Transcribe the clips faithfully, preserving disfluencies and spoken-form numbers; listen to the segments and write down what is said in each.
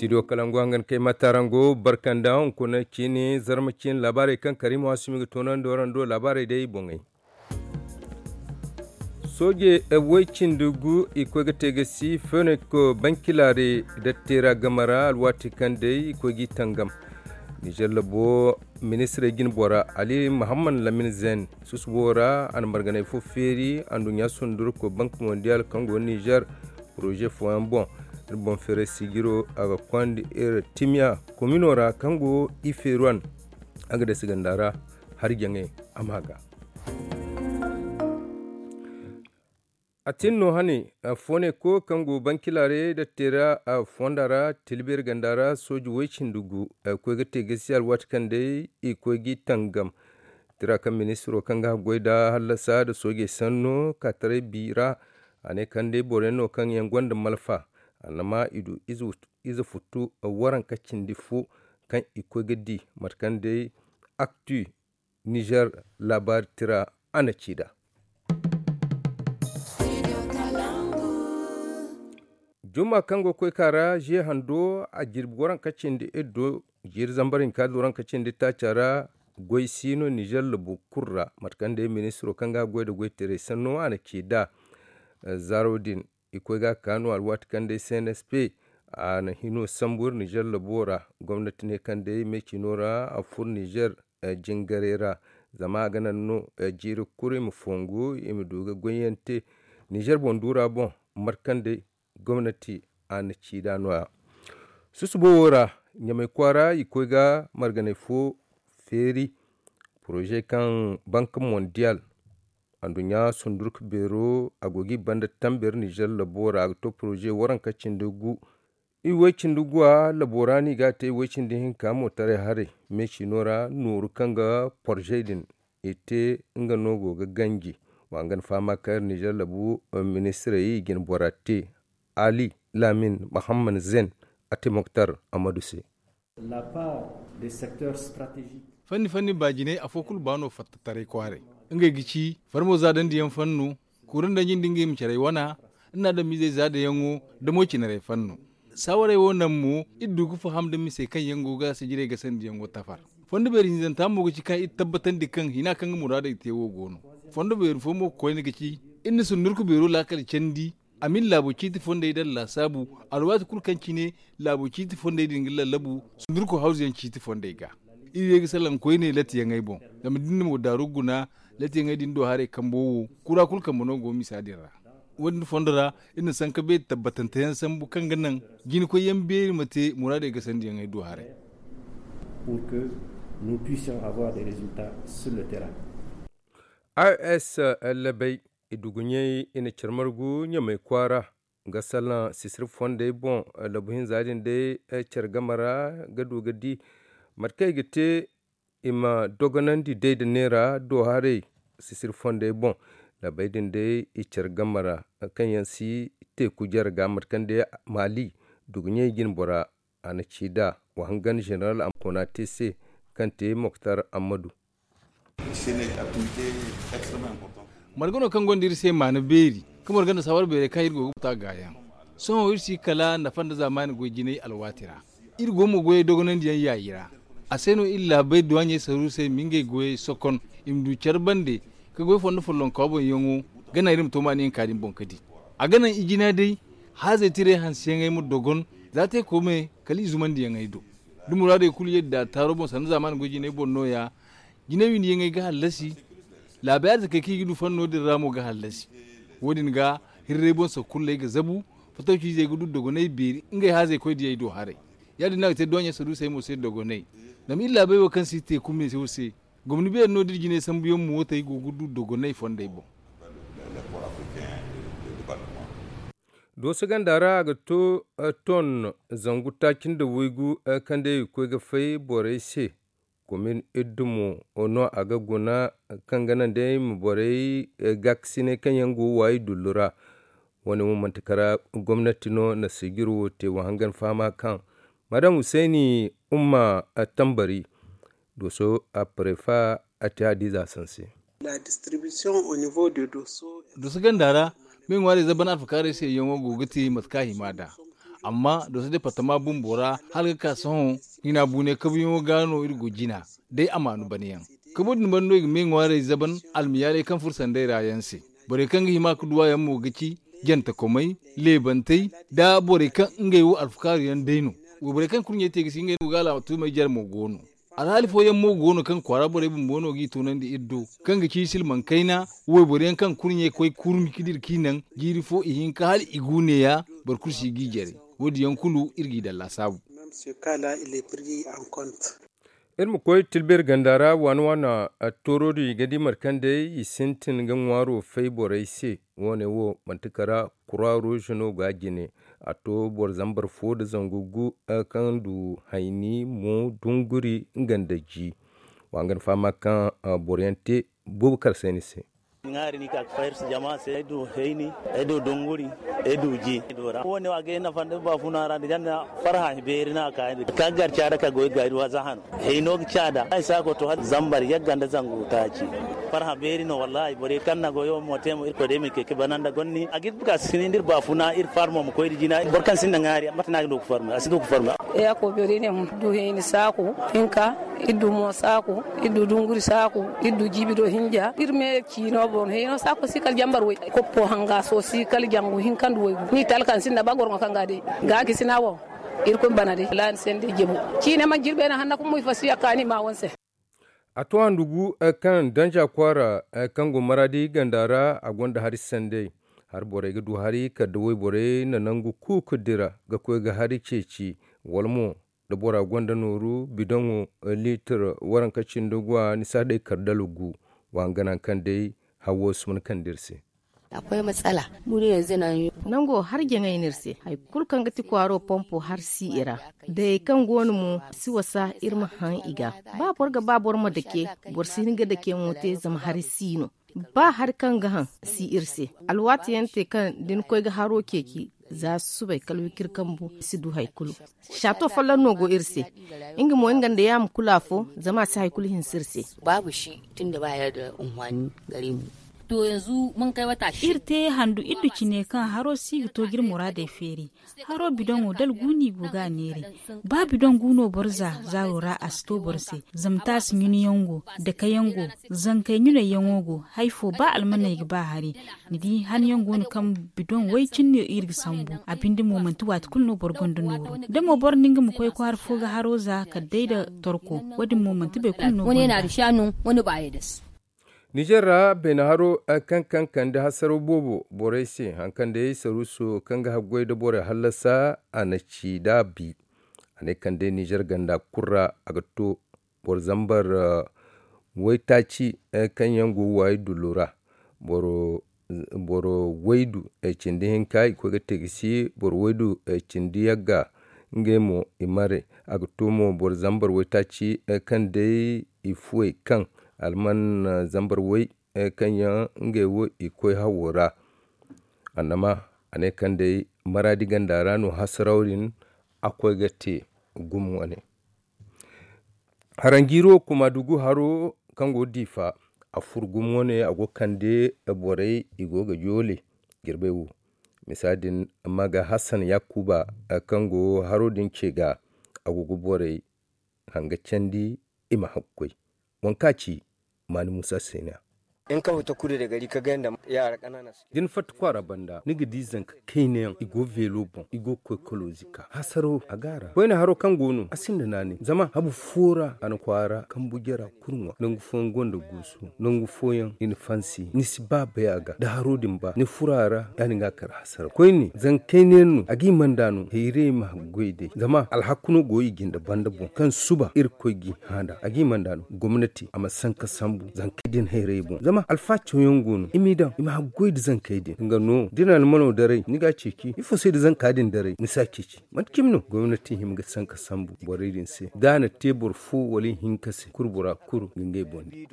Studio kalangu hangan kay matarango barkanda hunkuna cine zarma cine laabaarey kaŋ karima wasumi ga toonandi warando laabaarey day boŋey. Sooje way cindi gu i koy ga te ga si feneko bankilaare datteera game ra alwaati kaŋ day i koy g'i tangam. Nizer labo ministirey jine bora ali muhammad lamin zen susubo ra a na marganey fo feeri anduɲɲa sundurko bank mondial kaŋ go nizer. Poroze fooyaŋ boŋ iri boŋ feeray sijiro a ga konda iri timiya komino ra kaŋ go i feeruwan. A ga dasi ganda ra hari jaŋey a ma ga. A tin no hane foneko kaŋ go bankilaare da teera fonda ra tilbir ganda ra sooji way cindi gu koy ga te gasi alwaati kaŋ day i koy g'i tangam. Tira kaŋ ministiro kaŋ ga goy da hallasa da soojey sanno ka taray bi ra. A ne kaŋ day boroyaŋ no kaŋ yaŋ gonda malfa a na ma i du ize futtu waranka cindi fo kaŋ i koy ga di mate kaŋ day aktu nizer laabaari tira a na ci nd'a. Jumma kaŋ go ga koy ka ra ziye hando a jirbi waranka cindi iddo jiiri zambar hinka da waranka cindi taaca ra. Goy si no nizer labu kulu ra mate kaŋ day ministiro kaŋ ga goy nda goyteerey sanno a na ci nd'a. Zaaro din i koy ga a ka no alwaati kaŋ day cnsp a na hino sambu iri nizer labo ra. Gomnati ne kaŋ day meecino ra a furo nizer jingarey ra zama a ga naŋ no jiiri kulu i ma fongu i ma du ga goyyaŋ te. Nizer boŋ duura boŋ mate kaŋ day gomnati a na ci nd'a no- ya. Susubo wo ra ɲamay kwaara i koy ga marganey fo feeri poroze kaŋ bank mondial anduɲɲa sundurka beero a go ga i banda tamber nizer labo ra a ga to poroze waranka cindi gu. I way cindi guwa labo ra no i ga a te i way cindi hinka mo taray haray meecino ra nooru kaŋ ga porzey din i te nga no go ga ganji. Wa nga ni fahama kaŋ iri nizer labu ministirey i jine bora te ali lamin muhammad zen a te moktar amadu se. Fanni fanni baajinay afo kulu ba no fatta taray kwaaray. Ngey ga ci farmo za dandi yaŋ fanno kuura nda ɲindi ngey ma caray wana nda adamiizey za da yaŋo da mo cinarey fanno. Saawaray wo naŋ mo iri du ga faham da misey kaŋ yaŋ go ga sijirey gasandi yaŋo tafar. Fondo beeri hinzanta mo ga ci kaŋ iri tabbatandi kaŋ hina kaŋ ga muraadey te wo go no. Fondo beeri fo mo ga koyne ga ci iri na sundurku beero laakal candi. A ma iri laabo ciiti fondey daŋ laasaabu alwaati kulu kaŋ cine laabo ciiti fondey din ga lallabu sundurku hawzu yaŋ ciiti fondey ga. Iri ye ga salaŋ koyne latiyaŋey boŋ zama da iri na mo daaru guna latiyaŋey din do haray kambo wo kura kulu kambe no go misa din ra. Wo- din fondo ra iri na sanka beeri tabbatante yaŋ sambu kaŋ ga naŋ jina koy yaŋ beeri ma te muraadey gasandi yaŋey do haray. Pour que nous puissions avoir des résultats sur le terrain. Rs labay i duguɲey i na care margu ɲamay kwaara ga salaŋ sisiri fondey boŋ. Labu hinza din day care game ra ga du ga di mate kaŋ i ga te i ma dogonandi day nda neera do haray. Sisiri fondey boŋ labey din day i care game ra kaŋ yaŋ si teeku jare ga mate kaŋ day maali duguɲey jine bora a na ci nd'a wa hangan zeneral amkonate se kaŋ te moktar ammadu. Marga no kaŋ gonda iri se maana beeri ka marga nda saawar beerey kaŋ iri go ga buta gaayaŋ. Sohõ iri si kala nafa nda zaamaani goy jinay alwaati ra. Iri go ma goyey dogonandi yaŋ yaayi ra. A se no iri laabey duwaaɲey saruusey ma ngey goyey sokon i ma du care bande ka goy fondo follonka boŋ yaŋo ga naŋ iri ma to maani hinka din boŋ ka di. A ga naŋ ijina day haazey tirey hanseyaŋey ma dogon za te kome kala i zumandiyaŋey do. Da muraadey kulu yadda taaro boŋ sanda zaamaani goy jinay boŋ no- ya. Jinay windiyaŋey ga hallasi. Laabey arzakey kaŋ i ga du fanno din ra mo ga hallasi. Wo- din ga hirray boŋ sakulley ga zabu. Fatawciizey ga du dogonay beeri ngey haazey koy diyey do haray. Ya- din no a ga te duwaaɲey saruusey mo se dogonay. Zama iri laabey wo kaŋ si teeku me se wo se gomni beeri no da iri jinay sambuyaŋ mootey go ga du dogonay fondey boŋ. Dooso ganda ra a ga to ton zangu taaci nda waygu kaŋ day i ga koy ga fay borey se. Komin iddu mo no a ga guna kaŋ ga naŋ day ma borey gaakasinay kaŋ yaŋ go waayi dullu ra. Wo- ne mo manti kara gomnati no na sijir wo te wa hangan fahama kaŋ madam husayni umma tambari. Dooso a parefa a te hadiza sanse. Dooso ganda ra me ŋwaarey zaban alfakaarey se yaŋo go ga te mate kaŋ a hima nd'a. Amma doso departama bumbo ra hala ga ka sohõ, hina buune kabuyaŋo ga no iri go jina day amaanu banayaŋ. Kabu din banda no i ga me ŋwaarey zaban almiyaaley kaŋ furo sanday ra yaŋ se. Borey kaŋ ga hima ga duw'a yaŋ mo ga ci jantakomey, leebantey, nda borey kaŋ ngey wo alfakaaru yaŋ day no. Wayborey kaŋ kurɲey te ga si ngey no ga alaama tuumey jare mo go no. Alhaali fooyaŋ mo go no kaŋ kwaara borey bumbo no g'i toonandi iri do, kaŋ ga ci silmaŋ kayna, wayboro yaŋ kaŋ kurɲey koy kurmi ga dira k'i naŋ, jiiri fo ihinka hala i gu neeya, boro kulu si g'i jare. Wo-din yaŋ kulu iri g'i daŋ laasaabu. Iri ma koy tilbeeri ganda ra waana waana, tooro din i ga di mate kaŋ day i sintin ga ŋwaaro fay borey se. Wo-ne wo manti kara kura ruuze no ga a jine. A to boro zambar fo nda zangu gu, kaŋ du hayni mo dunguri nga nda ji. Wa nga na fahama kaŋ boro yaŋ te boobo kar se ni se. Ŋaari ni ka ga fayir si jama se ay du hayni, ay du dunguri, ay du ji. Wo-ne wo a ga ay nafa nda baafuna ra nda janna farha beeri no a ka. Kaŋ gar caada ka goy ga ay du a za hano. Hayno ga caada ay saako to hala zambar yagga nda zangu taaci. Farha beeri no wallahi borey kaŋ na goyo mo te mo irkoy day ma keke bana nda gonni a ga iri buka sinin da iri baafuna iri farmo ma koy da jina boro kaŋ sinda ŋaari mate no a ga du ga farmo a si du ga farmo. Yaako beeri ne mo du hini saako hinka iri du mo saako iri du dunguri saako iri du jiibi do hinja iri me ciino boŋ hino saako si kala jambar way koppo hanga so si kala jangu hinka nda waygu ni talkan sinda ba gorŋo kaŋ ga day ga ga sina wo. Iri kulu bana day wala ni se ni day jabo ciine man jirbe na hanna kuma mo ifo si a kaani ma wane se. A to handu gu kaŋ danja kwaara kaŋ go maraadi ganda ra a gonda hari sanday. Hari borey ga du hari kala da wayborey na nangu kuuku dira ga koy ga hari ceeci wala mo da bora gonda nooru bidoŋo liitir waranka cindi gu a ni si a day kala dala gu. Wa nga naŋ kaŋ day hawo si mana kande iri se. Akwai matsala. Mu da yanzu nan. Nango har jaŋay no iri se hari kulu kaŋ ga ti kwaaro pompo har si i ra. Dayey kaŋ go no mo si wasa iri ma haŋ i ga. Ba boro ga ba boro ma dake boro si hin ga dakeyaŋo te zama hari si no. Ba hari kaŋ ga haŋ si iri se. Alwaati yaŋ te kaŋ da ni koy ga haro ceeci za subay kala wikir kambu si du hari kulu. Saato folloŋ no go iri se. Nga mo nga nda yaama kulu afo zama a si hari kulu hinse iri se. Baabu si tun da ba yar da unhwaani gare mu. To yanzu mun kai wata shida. Iri te handu iri du cine kaŋ haro si ga to ga iri muraadey feeri. Haro bidoŋo da alguni go ga a neeray. Ba bidoŋ gu no boro za zaaro ra a si to boro se. Zama taasi ɲunayaŋ go, dakayaŋ go, zankey ɲunayyaŋo go. Hari fo ba almaney ga ba hari. Ni di hanayaŋ go no kaŋ bidoŋ way cine no iri ga sambu. A binde mo manti waati kulu no boro gonda nooru da mo boro na nga ma koy kwaara fo ga haro za kala day nda torko. Wo-din mo manti boro kulu no gonda. Nizer ra beene haro kaŋ kaŋ kande hasaraw boobo borey se hari kaŋ day saruuso kaŋ ga haggoy nda borey hallasa a na ci da a bi. A ne kaŋ day nizer ganda kulu ra a ga to boro zambar waytaaci kaŋ yaŋ go waayi dullu ra. Boro waydu cindi hinka i koy ga te ga si boro waydu cindi yagga. Ngey mo i mare a ga to mo boro zambar waytaaci kaŋ day i fuwey kaŋ alman zambar way kaŋ yaŋ ngey wo i koy hawo ra. Annama a ne kaŋ day maraadi ganda ra no hasaraw din a koy ga te gumo wane. Haranjiiro kuma dugu haro kaŋ go diifa a furo gumo wane a go kande borey i go ga joole jirbey wo. Misa din maga hassan yakuba kaŋ go haro din ce ga a go ga borey hanga candi i ma hakkoy. Waŋ kaŋ a ci maani musa se ne a. In ka huta kudu da gari ka ganda yara kanana su. Da ni fatta kwaara banda ni ga di zanka kayna yaŋ i go veelo boŋ i go ga koy kalo zika hasaro a ga a ra koyne haro kaŋ go no a sinda naanay zama habu fo ra a na kwaara kambu jara kulu ŋwa nangu fooyaŋ gonda guusu nangu fooyaŋ i na fansi ni si ba bay a ga da haro din ba ni furo a ra ya- din ga a kar hasara koyne zankayna yaŋ no a ga i manda no hayray ma haggoy day zama alhakku no go i jinde banda boŋ kaŋ suba irkoy ga i hã nd'a a ga i manda no gomnati a ma sanka sambu zankey din hayray boŋ zama alfaacaw yaŋ go no i m'i daŋ i ma haggoy nda zankey din nga no da ni almano daray ni ga a ceeci ifo se da zanka din daray ni si a ceeci manti cimi no gomnati hima ga sanka sambu borey din se da a na te boro fo wala ihinka se kulu bora kulu ga ngey boŋ di.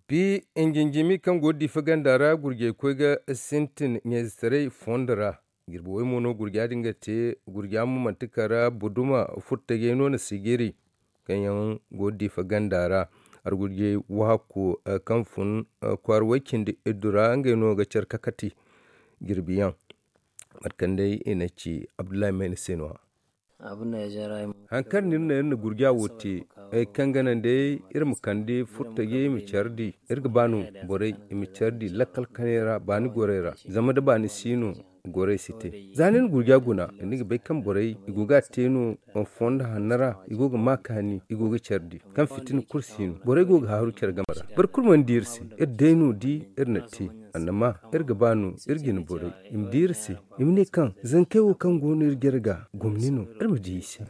Bi injinjimi kaŋ go diifa ganda ra gurjey koy ga sintin ɲayzetaray fondo ra. Jirbi way mo no gurja din ga te gurja mo manti kara buduma furtajey no na sijiri kaŋ yaŋ go diifa ganda ra. Argurjey wahakku kaŋ fun kwaara way-cindi iddu ra ngey no ga care kakati jirbiyaŋ. Mate kaŋ day i na ci abdullahi mayna se no- ya. Hari kaŋ no iri na iri na gurja wo te, kaŋ ga naŋ day iri ma kande furtajey i ma care di. Iri ga ba no borey i ma care di lakkal kaney ra baani gorey ra. Zama da baani si no, gorey si te. Za ni na gurja guna, ni ga bay kaŋ borey i go ga a te no, fondo hanno ra i go ga ma kaani, i go ga care di kaŋ fitina kulu si no. Borey go ga haaru care game ra. Boro kulu mana di iri se. Iri day no di iri na te. Annama iri ga ba no iri jine borey i ma di iri se, i ma ne kaŋ zankey wo kaŋ go no iri jare ga gomni no. Iri ma di i se.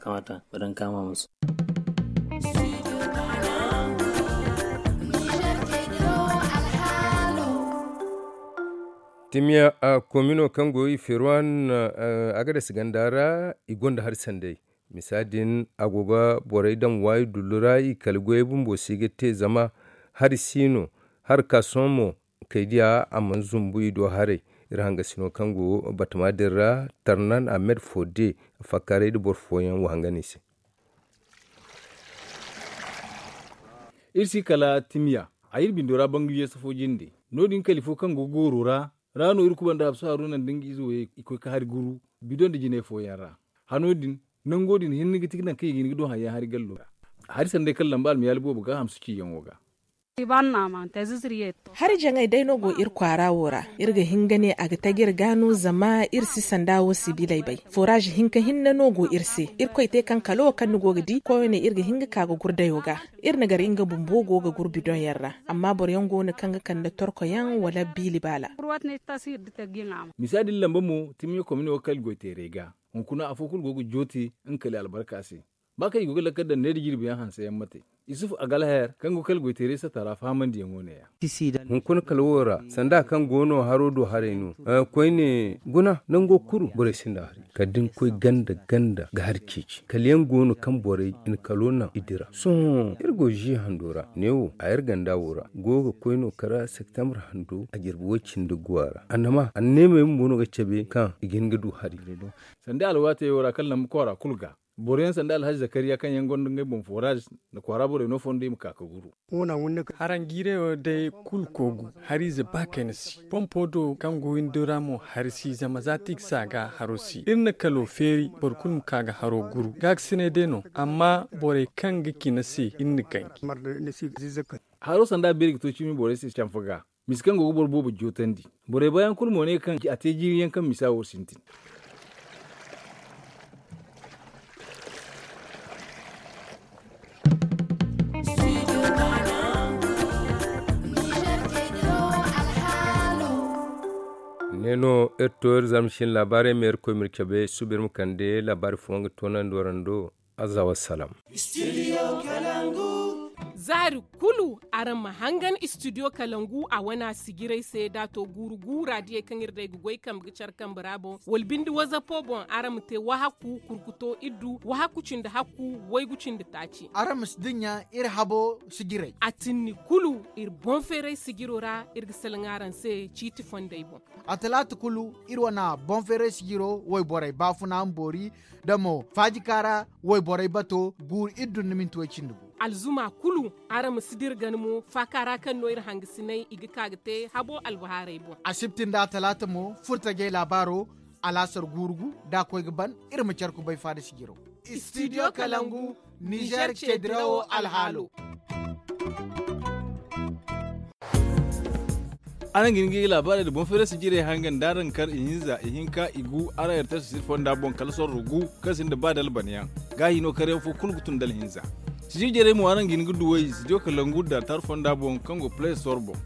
Timiya komino kaŋ go i feerwan, agades ganda ra, i gonda hari sanday. Misa din, a go ga borey daŋ waayi dullu ra i kala goyey bumbo si ga te zama hari si no. Hari ka sohõ mo, kay diya a mana zumbu i do haray. Iri hangasino kaŋ go batama din ra, tarnan ahmed fode, fakkaaray da boro fooyaŋ wa hangan i se. Iri si kala timiya, a iri bindo ra bangu yeeso fo jinde. No- din kali fo kaŋ go gooro ra, ra no iri kubanda habsu haruna nda nga ize wo ye i koy ka hari guru, bidon nda jinay fooyaŋ ra. Hano din, nango din hinne ga ti naŋ kaŋ i ga hin ga du haŋ yaŋ hari gallo ra. Hari sanday kaŋ lamba almiyaali boobo ga hamsu ciyaŋo ga. Hari jaŋay day no go iri kwaara wo ra. Iri ga hin ga ne a ga taji iri ga no zama iri si sanda wo sibiley bay. Foraaz hinka hinne no go iri se. Irkoy te kaŋ kalo wo kaŋ ni go ga di koyne iri ga hin ga ka ga gurdayo ga. Iri na gar nga bumbo go ga guru bidonyaŋ ra. Amma boro yaŋ go no kaŋ ga kande torko yaŋ wala biili baala. Misa din lamba mo timiya komino kali goy teeray ga. Hunkuna afo kulu go ga joote nga kali albarka se. Ba kaŋ i go ga lakkal daŋ ne da jirbi yaŋ hanse yaŋ mate. Isuf agalher kaŋ go kali goy teeray satara fahamandi yaŋo ne ya. Hunkuna kala wo ra sanda kaŋ go no haro do haray no. Koyne guna nango kulu borey sinda hari kala da ni koy ganda ganda ga hari ceeci kala yaŋ go no kaŋ borey i na kalo naŋ i dira sohõ iri go ga zi hando ra ne wo a iri ganda wo ra go ga koy no kara septembre hando a jirbi way cindi guwa ra annama anneemey bumbo no ga cabe kaŋ i ga hin ga du hari. Sanda alwaatey wo ra kala lamba kwaara kulu ga boro yaŋ sanda alhazi zakariya kaŋ yaŋ gonda ngey boŋ foraaz na kwaara borey no fondo i ma ka ga guru. Haraŋ jiirey wo day kulu koogu hariize ba kayna si pompo do kaŋ go windo ra mo hari si zama za tiiksa ga haro si iri na kalo feeri boro kulu ma ka ga haro guru gaakasinay day no amma borey kaŋ ga cina se iri na ganji. Haro sanda beeri ga to cimi borey se canfa ga. Misa kaŋ go ga boro boobo jootandi. Borey baayaŋ kulu mo ne kaŋ a te jiiri yaŋ kaŋ misa wo sintin. Ne no iri to iri zarma sin laabaarey ma iri koy ma iri cabe suba iri ma kande laabaari fooyaŋ ga toonandi warando. Azza wassalam. Zaari kulu araŋ ma hangan studio kalangu a wana sijiray se da to guuru guura diyey kaŋ iri day ga goy kambe ga care kambe ra boŋ wala binde wazapo boŋ araŋ ma te wahakku kurkuto iddu wahakku cindi hakku waygu cindi taaci. Araŋ ma si dinya iri habo sijiray a tinni kulu iri boŋ feeray sijiro ra iri ga salaŋ araŋ se ciiti fondey boŋ. A talaata kulu iri wana boŋ feeray sijiro wayborey baafuna ma boori da mo faajika ra wayborey bato guuru iri dunna minti way cindi gu. Alzuma kulu araŋ ma si dira gana mo faaka ra kaŋ no iri hangasinay i ga ka ga te habo albahaarey boŋ. Asibti nda a talaata mo furtajey laabaaro alaasar guuru gu da a koy ga ban iri ma care kubay faada sijiro. Studio kalangu nizer ceedirawo alhaalo. Araŋ ga hin ga i laabaarey nda boŋ feerey sijirey hangan da araŋ kar ihinza ihinka igu araŋ iri taasi siti fonda boŋ kala sorro gu kaŋ sinda ba da albanyaŋ. Gaahi no karyaŋ fo kulu ga tun da alhinza. Sijir jarey mo araŋ ga hin ga duw'ey studio kalangu da tar fonda boŋ kaŋ go play store boŋ.